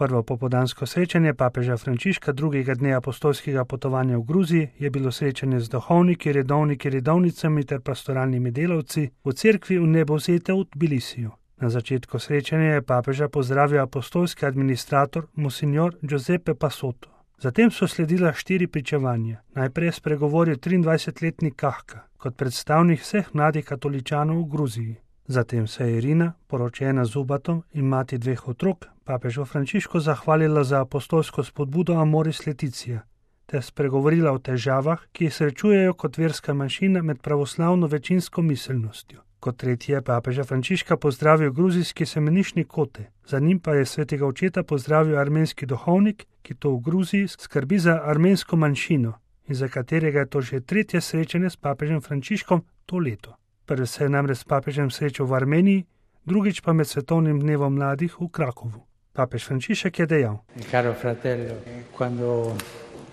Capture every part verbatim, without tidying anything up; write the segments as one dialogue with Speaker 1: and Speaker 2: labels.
Speaker 1: Prvo popoldansko srečanje papeža Frančiška drugega dne apostolskega potovanja v Gruziji je bilo srečanje z duhovniki, redovniki, redovnicami ter pastoralnimi delavci v cerkvi v Nebozete v Tbilisiju. Na začetku srečanja je papeža pozdravil apostolski administrator monsignor Giuseppe Passotto. Zatem so sledila štiri pričevanja. Najprej je spregovoril triindvajsetletni Kahka kot predstavnik vseh mladih katoličanov v Gruziji. Zatem se je Irina, poročena z Ubatom in mati dveh otrok, papežu Frančišku zahvalila za apostolsko spodbudo Amoris Laetitia ter spregovorila o težavah, ki jih srečujejo kot verska manjšina med pravoslavno večinsko miselnostjo. Kot tretji je papeža Frančiška pozdravil gruzijski semenišnik Kote, za njim pa je svetega očeta pozdravil armenski duhovnik, ki to v Gruziji skrbi za armensko manjšino in za katerega je to že tretje srečanje s papežem Frančiškom to leto. Prvi se je namreč s papežem srečal v Armeniji, drugič pa med svetovnim dnevom mladih v Krakovu. Papež Frančišek je dejal:
Speaker 2: Caro fratello, quando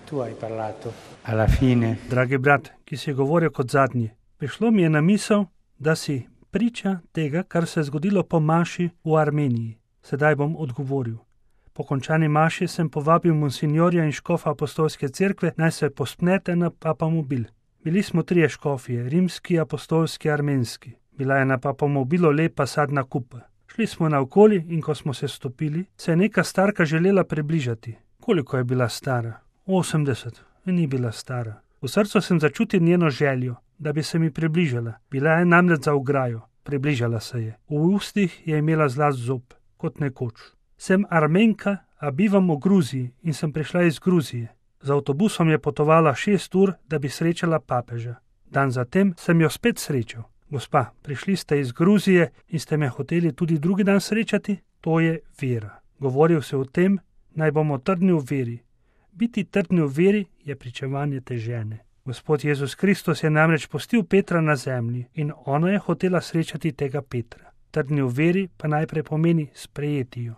Speaker 2: tu hai parlato alla fine.
Speaker 1: Dragi brat, ki si govoril kot zadnji, prišlo mi je na misel, da si priča tega, kar se je zgodilo po maši v Armeniji. Sedaj bom odgovoril. Po končani maši sem povabil monsignorja in škofa apostolske cerkve, naj se pospnete na papamobil. Bili smo trije škofije, rimski, apostolski, armenski. Bila je na papamobilu lepa sadna kupa. Šli smo naokoli in ko smo se stopili, se je neka starka želela približati. Koliko je bila stara? osemdeset. Ni bila stara. V srcu sem začutil njeno željo, da bi se mi približala. Bila je namreč za ograjo. Približala se je. V ustih je imela zlast zob, kot nekoč. Sem Armenka, a bivam v Gruziji in sem prišla iz Gruzije. Z avtobusom je potovala šest ur, da bi srečala papeža. Dan zatem sem jo spet srečal. Gospa, prišli ste iz Gruzije in ste me hoteli tudi drugi dan srečati? To je vera. Govoril se o tem, naj bomo trdni v veri. Biti trdni v veri je pričevanje te žene. Gospod Jezus Kristus je namreč pustil Petra na zemlji in ona je hotela srečati tega Petra. Trdni v veri pa najprej pomeni sprejeti jo,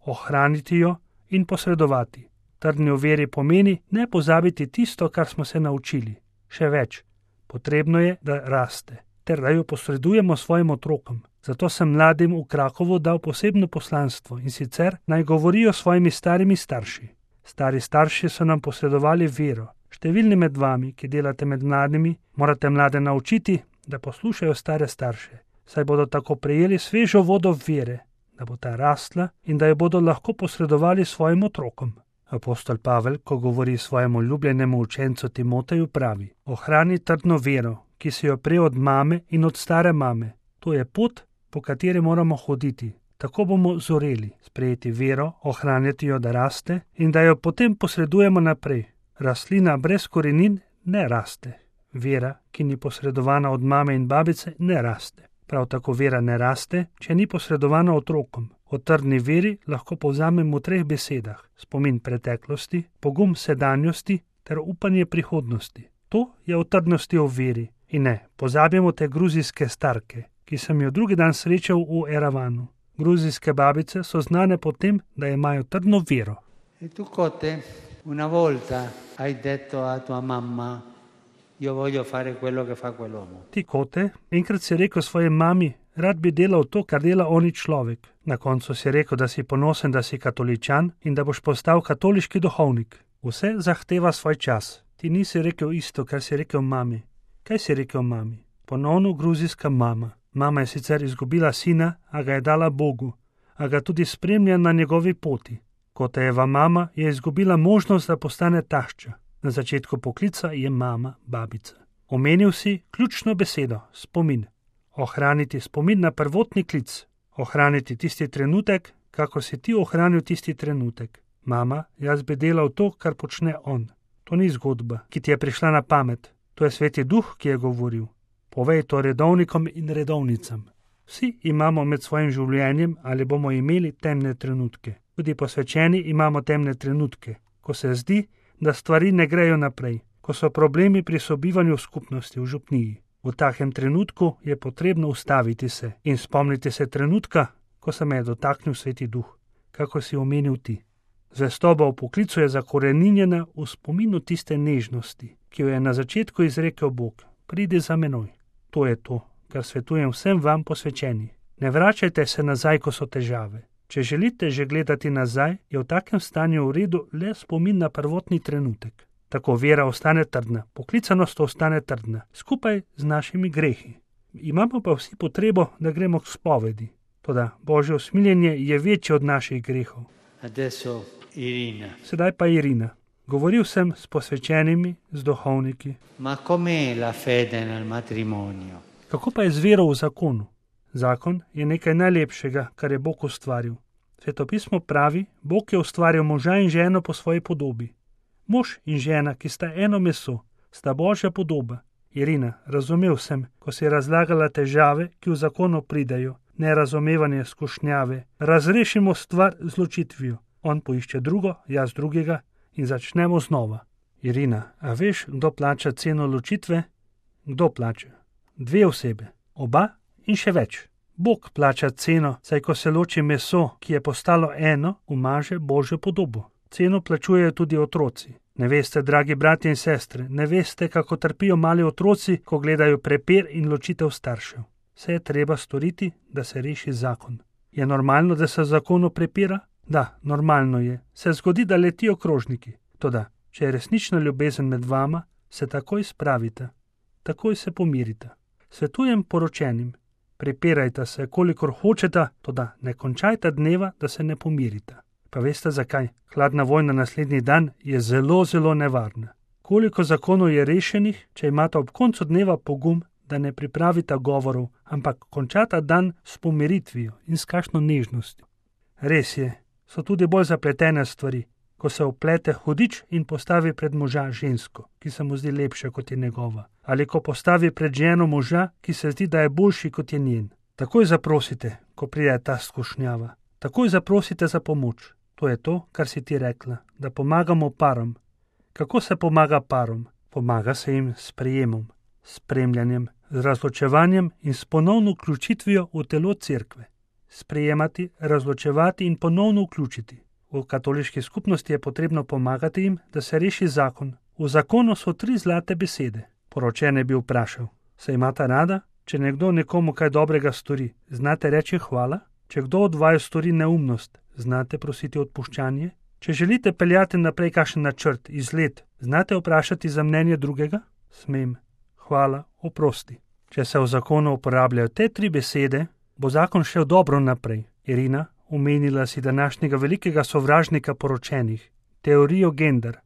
Speaker 1: ohraniti jo in posredovati. Trdni v veri pomeni ne pozabiti tisto, kar smo se naučili. Še več, potrebno je, da raste, ter da jo posredujemo svojim otrokom. Zato sem mladim v Krakovu dal posebno poslanstvo in sicer naj govorijo s svojimi starimi starši. Stari starši so nam posredovali vero. Številni med vami, ki delate med mladimi, morate mlade naučiti, da poslušajo stare starše, saj bodo tako prejeli svežo vodo vere, da bo ta rastla in da jo bodo lahko posredovali svojim otrokom. Apostol Pavel, ko govori svojemu ljubljenemu učencu Timoteju, pravi: ohrani trdno vero, ki si jo prej od mame in od stare mame. To je pot, po kateri moramo hoditi. Tako bomo zoreli, sprejeti vero, ohranjati jo, da raste in da jo potem posredujemo naprej. Rastlina brez korenin ne raste. Vera, ki ni posredovana od mame in babice, ne raste. Prav tako vera ne raste, če ni posredovana otrokom. O trdni veri lahko povzamem v treh besedah: spomin preteklosti, pogum sedanjosti ter upanje prihodnosti. To je o trdnosti v veri. In ne, pozabimo te gruzijske starke, ki sem jo drugi dan srečal v Eravanu. Gruzijske babice so znane po tem, da imajo trdno vero.
Speaker 2: E tu, Kote, una volta hai detto a tua mamma: io voglio fare quello che fa quell'uomo.
Speaker 1: Ti, Kote, enkrat si rekel svoji mami: rad bi delal to, kar dela oni človek. Na koncu si rekel, da si ponosen, da si katoličan in da boš postal katoliški duhovnik. Vse zahteva svoj čas. Ti nisi rekel isto, kar si rekel mami. Kaj si rekel mami? Ponovno gruzijska mama. Mama je sicer izgubila sina, a ga je dala Bogu, a ga tudi spremlja na njegovi poti. Kotejeva mama je izgubila možnost, da postane tašča. Na začetku poklica je mama babica. Omenil si ključno besedo, spomin. Ohraniti spomin na prvotni klic. Ohraniti tisti trenutek, kako si ti ohranil tisti trenutek. Mama, jaz bi delal to, kar počne on. To ni zgodba, ki ti je prišla na pamet. To je Sveti Duh, ki je govoril. Povej to redovnikom in redovnicam. Vsi imamo med svojim življenjem ali bomo imeli temne trenutke. Tudi posvečeni imamo temne trenutke, ko se zdi, da stvari ne grejo naprej, ko so problemi pri sobivanju v skupnosti, v župniji. V takem trenutku je potrebno ustaviti se in spomniti se trenutka, ko se me je dotaknil Sveti Duh, kako si omenil ti. Zvestoba v poklicu je zakoreninjena v spominu tiste nežnosti, ki jo je na začetku izrekel Bog: pridi za menoj. To je to, kar svetujem vsem vam posvečeni. Ne vračajte se nazaj, ko so težave. Če želite že gledati nazaj, je v takem stanju v redu le spomin na prvotni trenutek. Tako vera ostane trdna, poklicanost ostane trdna, skupaj z našimi grehi. Imamo pa vsi potrebo, da gremo k spovedi. Toda Božje usmiljenje je večje od naših grehov.
Speaker 2: Adesso Irina.
Speaker 1: Sedaj pa Irina. Govoril sem s posvečenimi, z duhovniki.
Speaker 2: Ma com'è la fede nel matrimonio?
Speaker 1: Kako pa je z vero v zakonu? Zakon je nekaj najlepšega, kar je Bog ustvaril. Svetopismo pravi, Bog je ustvaril moža in ženo po svoji podobi. Mož in žena, ki sta eno meso, sta Božja podoba. Irina, razumel sem, ko si razlagala težave, ki v zakonu pridejo, nerazumevanje, skušnjave. Razrešimo stvar z ločitvijo. On poišče drugo, jaz drugega in začnemo znova. Irina, a veš, kdo plača ceno ločitve? Kdo plača? Dve osebe. Oba in še več. Bog plača ceno, saj ko se loči meso, ki je postalo eno, umaže Božjo podobo. Ceno plačujejo tudi otroci. Ne veste, dragi bratje in sestre, ne veste, kako trpijo mali otroci, ko gledajo prepir in ločitev staršev. Vse je treba storiti, da se reši zakon. Je normalno, da se v zakonu prepira? Da, normalno je. Se zgodi, da letijo krožniki. Toda, če je resnična ljubezen med vama, se takoj spravite. Takoj se pomirite. Svetujem poročenim. Prepirajte se, kolikor hočete, toda ne končajte dneva, da se ne pomirite. Pa veste zakaj? Hladna vojna naslednji dan je zelo, zelo nevarna. Koliko zakonov je rešenih, če imate ob koncu dneva pogum, da ne pripravite govorov, ampak končate dan s pomiritvijo in s kakšno nežnostjo. Res je, so tudi bolj zapletene stvari, ko se oplete hudič in postavi pred moža žensko, ki se mu zdi lepša kot je njegova, ali ko postavi pred ženo moža, ki se zdi, da je boljši kot je njen. Takoj zaprosite, ko pride ta skušnjava. Takoj zaprosite za pomoč. To je to, kar si ti rekla, da pomagamo parom. Kako se pomaga parom? Pomaga se jim s prijemom, spremljanjem, z razločevanjem in s ponovno vključitvijo v telo cerkve. Sprejemati, razločevati in ponovno vključiti. V katoliški skupnosti je potrebno pomagati jim, da se reši zakon. V zakonu so tri zlate besede. Poročen je bil vprašal, se imata rada? Če nekdo nekomu kaj dobrega stori, znate reči hvala? Če kdo od vaju stori neumnost, znate prositi odpuščanje? Če želite peljati naprej kakšen načrt, izlet, znate vprašati za mnenje drugega? Smem, hvala, oprosti. Če se v zakonu uporabljajo te tri besede, bo zakon šel dobro naprej. Irina, omenila si današnjega velikega sovražnika poročenih, teorijo gender.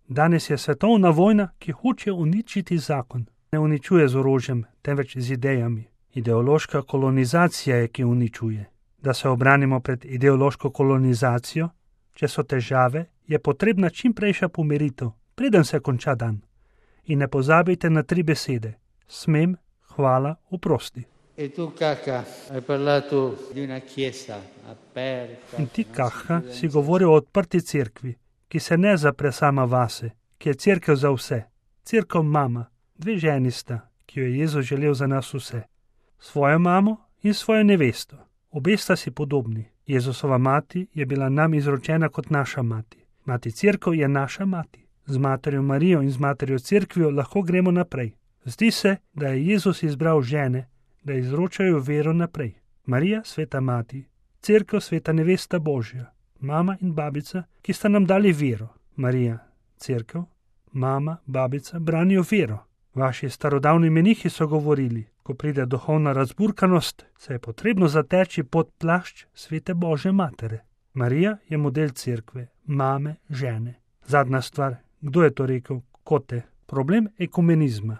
Speaker 1: Danes je svetovna vojna, ki hoče uničiti zakon. Ne uničuje z orožjem, temveč z idejami. Ideološka kolonizacija je, ki uničuje. Da se obranimo pred ideološko kolonizacijo, če so težave, je potrebna čimprejša pomiritev, preden se konča dan. In ne pozabite na tri besede. Smem, hvala, oprosti.
Speaker 2: E tu, Caca, hai parlato di una chiesa aperta.
Speaker 1: In ti, Caca, si govoril o odprti cerkvi, ki se ne zapre sama vase, ki je cerkev za vse. Cerkev mama, dve ženi sta, ki jo je Jezus želel za nas vse. Svojo mamo in svojo nevesto. Obe sta si podobni. Jezusova mati je bila nam izročena kot naša mati. Mati cerkev je naša mati. Z materjo Marijo in z materjo cerkvijo lahko gremo naprej. Zdi se, da je Jezus izbral žene, da izročajo vero naprej. Marija, sveta mati, cerkev, sveta nevesta Božja, mama in babica, ki sta nam dali vero. Marija, cerkev, mama, babica branijo vero. Vaši starodavni menihi so govorili, ko pride duhovna razburkanost, se je potrebno zateči pod plašč svete Božje matere. Marija je model cerkve, mame, žene. Zadnja stvar, kdo je to rekel? Kote. Problem ekumenizma.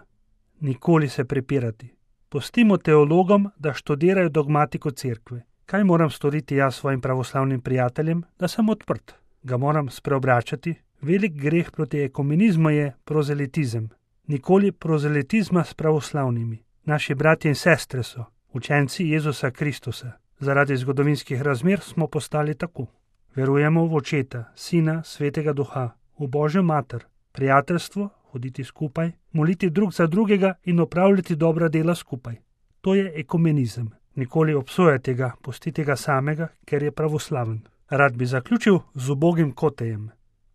Speaker 1: Nikoli se prepirati. Pustimo teologom, da študirajo dogmatiko cerkve. Kaj moram storiti jaz svojim pravoslavnim prijateljem, da sem odprt? Ga moram spreobračati? Velik greh proti ekumenizmu je prozelitizem. Nikoli prozelitizma s pravoslavnimi. Naši bratje in sestre so, učenci Jezusa Kristusa. Zaradi zgodovinskih razmer smo postali tako. Verujemo v Očeta, Sina, Svetega Duha, v Božjo mater, prijateljstvo, hoditi skupaj, moliti drug za drugega in opravljati dobra dela skupaj. To je ekumenizem. Nikoli obsojajte ga, pustite ga samega, ker je pravoslaven. Rad bi zaključil z ubogim Kotejem.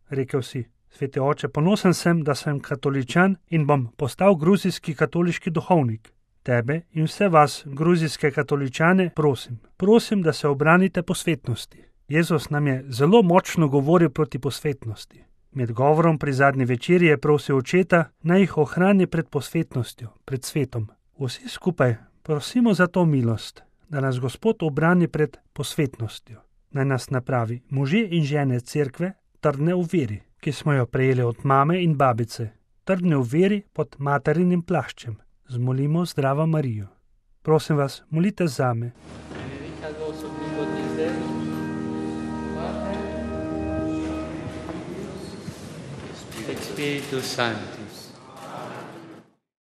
Speaker 1: Rekel si, sveti oče, ponosen sem, da sem katoličan in bom postal gruzijski katoliški duhovnik. Tebe in vse vas, gruzijske katoličane, prosim, prosim, da se obranite posvetnosti. Jezus nam je zelo močno govoril proti posvetnosti. Med govorom pri zadnji večerji je prosil očeta, naj jih ohrani pred posvetnostjo, pred svetom. Vsi skupaj prosimo za to milost, da nas Gospod obrani pred posvetnostjo. Naj nas napravi može in žene cerkve trdne v veri, ki smo jo prejeli od mame in babice, trdne v veri pod materinim plaščem. Zmolimo Zdravo Marijo. Prosim vas, molite zame.
Speaker 2: Spiritus Sanctus.